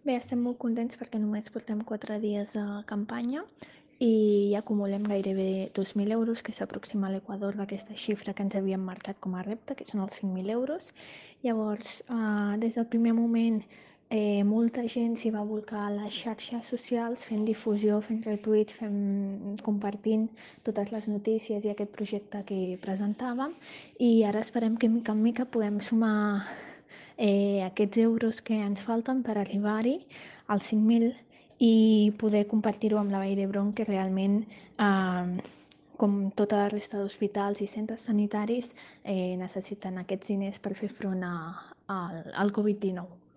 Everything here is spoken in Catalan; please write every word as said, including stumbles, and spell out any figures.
Bé, estem molt contents perquè només portem quatre dies de campanya i ja acumulem gairebé dos mil euros, que s'aproxima a l'equador d'aquesta xifra que ens havíem marcat com a repte, que són els cinc mil euros. Llavors, eh, des del primer moment, eh, molta gent s'hi va volcar a les xarxes socials fent difusió, fent retuits, fent, compartint totes les notícies i aquest projecte que presentàvem, i ara esperem que mica en mica puguem sumar eh, aquests euros que ens falten per arribar-hi als cinc mil i poder compartir-ho amb la Vall d'Hebron, que realment, eh, com tota la resta d'hospitals i centres sanitaris, eh, necessiten aquests diners per fer front a, a, al Covid dinou.